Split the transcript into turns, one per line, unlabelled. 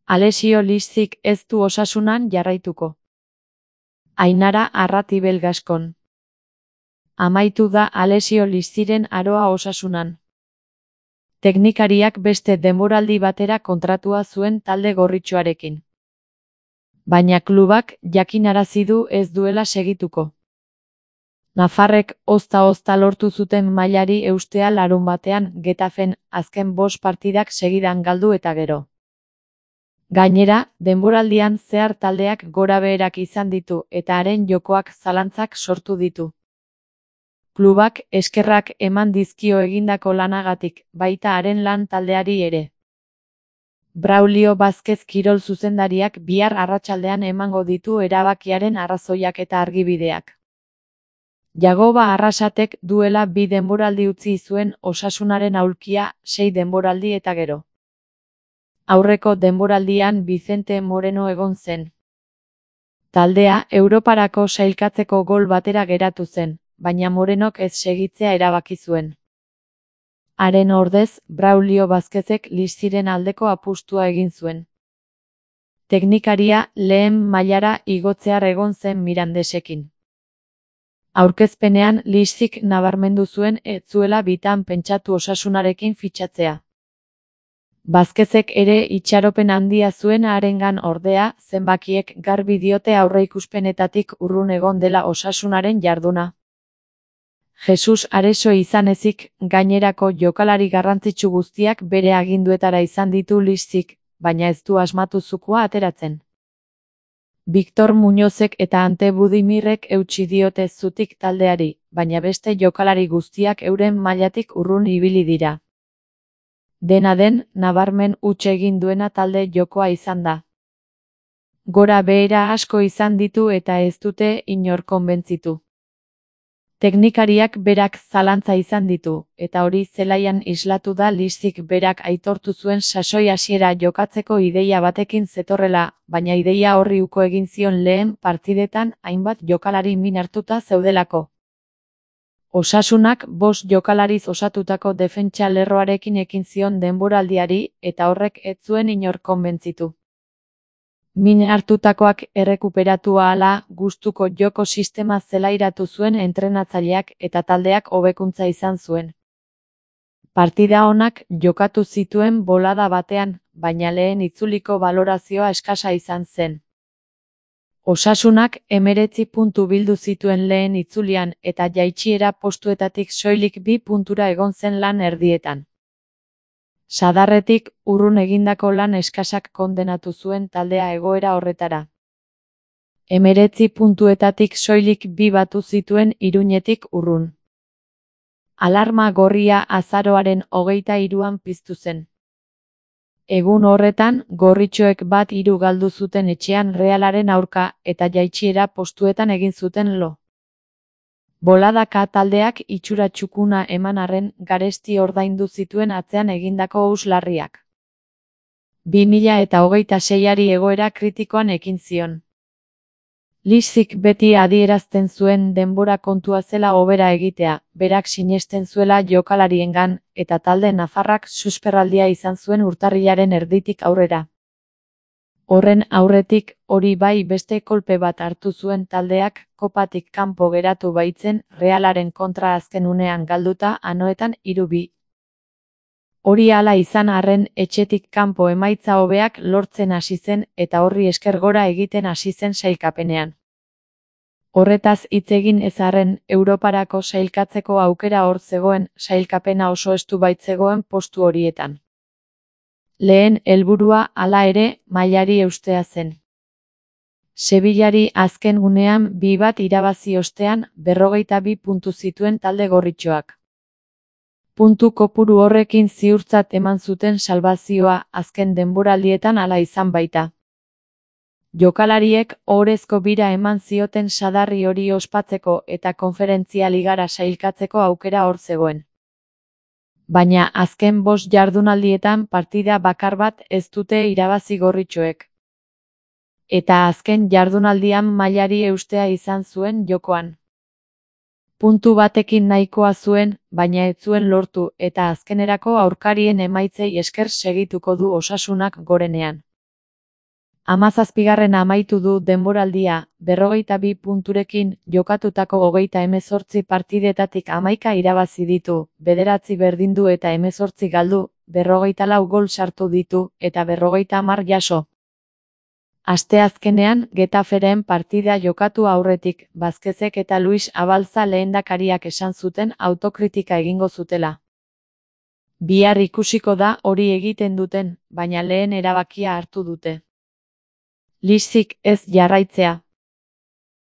Alessio Lizzik ez du Osasunan jarraituko. Ainara Arratibel Gaskon. Amaitu da Alessio Lizziren aroa Osasunan. Teknikariak beste denboraldi batera kontratua zuen talde gorritxoarekin. Baina klubak jakinarazi du ez duela segituko. Nafarrek ozta-ozta lortu zuten mailari eustea larunbatean Getafen azken 5 partidak segidan galdu eta gero. Gainera, denboraldian zehar taldeak gorabeherak izan ditu eta haren jokoak zalantzak sortu ditu. Klubak eskerrak eman dizkio egindako lanagatik, baita haren lan taldeari ere. Braulio Vázquez kirol zuzendariak bihar arratsaldean emango ditu erabakiaren arrazoiak eta argibideak. Jagoba Arrasatek duela 2 denboraldi utzi zuen Osasunaren aulkia 6 denboraldi eta gero. Aurreko denboraldian Vicente Moreno egon zen. Taldea Europarako sailkatzeko gol batera geratu zen, baina Morenok ez segitzea erabaki zuen. Haren ordez, Braulio Vázquezek Lizziren aldeko apustua egin zuen. Teknikaria lehen mailara igotzear egon zen Mirandesekin. Aurkezpenean Lizzik nabarmendu zuen ez zuela bitan pentsatu Osasunarekin fitxatzea. Vázquezek ere itxaropen handia zuen harengan ordea, zenbakiek garbi diote aurreikuspenetatik urrun egon dela Osasunaren jarduna. Jesus Areso izan ezik, gainerako jokalari garrantzitsu guztiak bere aginduetara izan ditu Lizzik, baina ez du asmatu zukua ateratzen. Victor Muñozek eta Ante Budimirrek eutsi diote zutik taldeari, baina beste jokalari guztiak euren mailatik urrun ibili dira. Dena den, nabarmen huts egin duena talde jokoa izan da. Gora behera asko izan ditu eta ez dute inor konbentzitu. Teknikariak berak zalantza izan ditu, eta hori zelaian islatu da Lizzik berak aitortu zuen sasoi hasiera jokatzeko ideia batekin zetorrela, baina ideia horri uko egin zion lehen partidetan hainbat jokalari min hartuta zeudelako. Osasunak 5 jokalariz osatutako defentsa lerroarekin ekin zion denboraldiari eta horrek ez zuen inor konbentzitu. Min hartutakoak errekuperatu ahala gustuko joko sistema zelairatu zuen entrenatzaileak eta taldeak hobekuntza izan zuen. Partida onak jokatu zituen bolada batean, baina lehen itzuliko balorazioa eskasa izan zen. Osasunak 19 puntu bildu zituen lehen itzulian eta jaitsiera postuetatik soilik 2 puntura egon zen lan erdietan. Sadarretik urrun egindako lan eskasak kondenatu zuen taldea egoera horretara. 19 puntuetatik soilik 2 batu zituen Iruñetik urrun. Alarma gorria azaroaren 23an piztu zen. Egun horretan, gorritxoek 1-3 galdu zuten etxean Realaren aurka eta jaitsiera postuetan egin zuten lo. Boladaka taldeak itxura txukuna eman arren garesti ordaindu zituen atzean egindako huts larriak. 2026ari egoera kritikoan ekin zion. Lizzik beti adierazten zuen denbora kontua zela hobera egitea, berak sinesten zuela jokalariengan, eta talde nafarrak susperraldia izan zuen urtarrilaren erditik aurrera. Horren aurretik, hori bai beste kolpe bat hartu zuen taldeak, kopatik kanpo geratu baitzen, Realaren kontra azken unean galduta Anoetan 3-2. Hori hala izan arren etxetik kanpo emaitza hobeak lortzen hasi zen eta horri esker gora egiten hasi zen sailkapenean. Horretaz hitz egin ez arren, Europarako sailkatzeko aukera hor zegoen, sailkapena oso estu baitzegoen postu horietan. Lehen helburua hala ere mailari eustea zen. Sevillari azken unean 2-1 irabazi ostean 52 puntu zituen talde gorritxoak. Puntu kopuru horrekin ziurtzat eman zuten salbazioa azken denboraldietan hala izan baita. Jokalariek ohorezko bira eman zioten sadarri hori ospatzeko eta konferentzia ligara sailkatzeko aukera hor zegoen. Baina azken 5 jardunaldietan partida bakar bat ez dute irabazi gorritxoek. Eta azken jardunaldian mailari eustea izan zuen jokoan. Puntu batekin nahikoa zuen, baina ez zuen lortu eta azkenerako aurkarien emaitzei esker segituko du Osasunak gorenean. 17. amaitu du denboraldia, 42 punturekin, jokatutako 38 partidetatik 11 irabazi ditu, 9 berdindu eta 18 galdu, 44 gol sartu ditu, eta 50 jaso. Asteazkenean, Getaferen partida jokatu aurretik, Vázquezek eta Luis Abalza lehendakariak esan zuten autokritika egingo zutela. Bihar ikusiko da hori egiten duten, baina lehen erabakia hartu dute. Liszik ez jarraitzea.